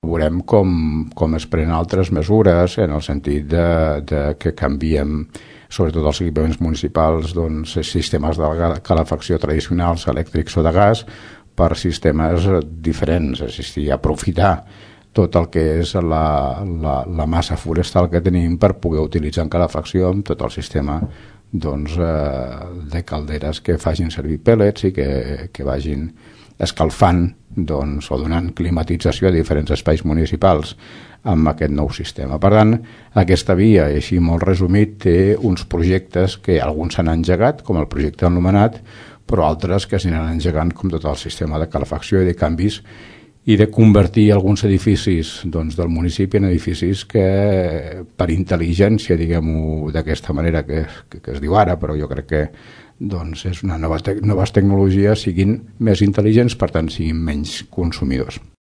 Veurem com es prenen altres mesures en el sentit de que canviem, sobretot els equipaments municipals, doncs, sistemes de calefacció tradicionals, elèctrics o de gas, per sistemes diferents, és a dir, aprofitar tot el que és la massa forestal que tenim per poder utilitzar en calefacció amb tot el sistema de calderes que facin servir pèl·lets i que vagin escalfant o donant climatització a diferents espais municipals amb aquest nou sistema. Per tant, aquesta via, així molt resumit, té uns projectes que alguns s'han engegat, com el projecte anomenat, però altres que s'aniran engegant com tot el sistema de calefacció i de canvis i de convertir alguns edificis del municipi en edificis que per intel·ligència, diguem-ho d'aquesta manera que es diu ara, però jo crec que és una noves tecnologies siguin més intel·ligents, per tant siguin menys consumidors.